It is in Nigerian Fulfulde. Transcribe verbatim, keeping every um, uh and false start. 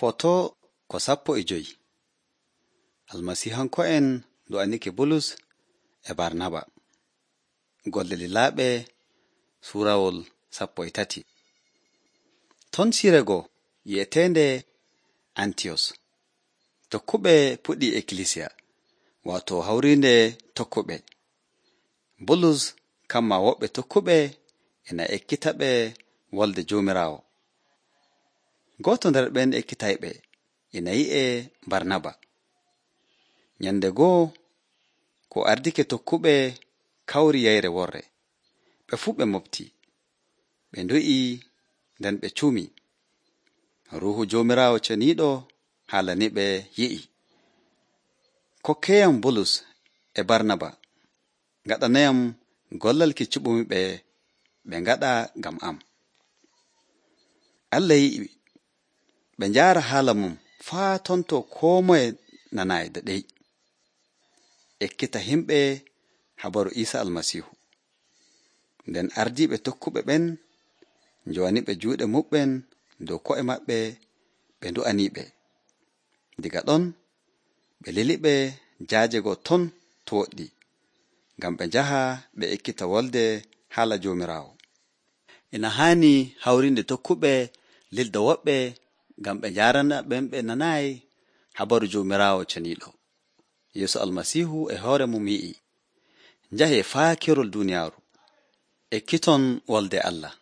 Foto ko sappo e joyi. Almasiihanko'en do'anike Bulus e Barnaba. Golle lilaaɓe suurawol sappo e tati. Ton sirego yi'eteende Antiyos. Tokkuɓe puɗɗi ekkilisiya, waato hawriinde tokkuɓe. Bulus kamma woɓɓe tokkuɓe ina ekkita ɓe wolde Joomiraawo. Gooto nder ɓen ekkitayɓe ina yi'e Barnaba. Nyande goo ko ardike tokkuɓe kawri yeyre worre. Ɓe fuu ɓe moftii. Ɓe ndu'ii nden ɓe cuumii. Ruuhu Joomiraawo ceniiɗo haalaniɓe yi'i. Kokkeyam Bulus e Barnaba, ngaɗanayam gollal kiccuɓumi ɓe ɓe ngaɗa ngam am. Allah yi'i ɓe njaara haala mum faa tonto koo moye nanaayi daɗey. Ekkita himɓe habaru Iisa Almasiihu. Nden ardiiɓe tokkuɓe ɓen njowaniɓe juuɗe muɓɓen dow ko'e maɓɓe ɓe ndu'aniiɓe. Diga ɗon ɓe liliɓe jaajego ton to woɗɗi, ngam ɓe njaha ɓe ekkita wolde haala Joomiraawo. Ina haani hawrinde tokkuɓe lilda woɓɓe ngam ɓe njaarana ɓen ɓe nanaayi habaru Joomiraawo ceniiɗo. Yeesu Almasiihu e hoore mum yi'i, njahee faa kerol duuniyaaru, ekkiton wolde Allah.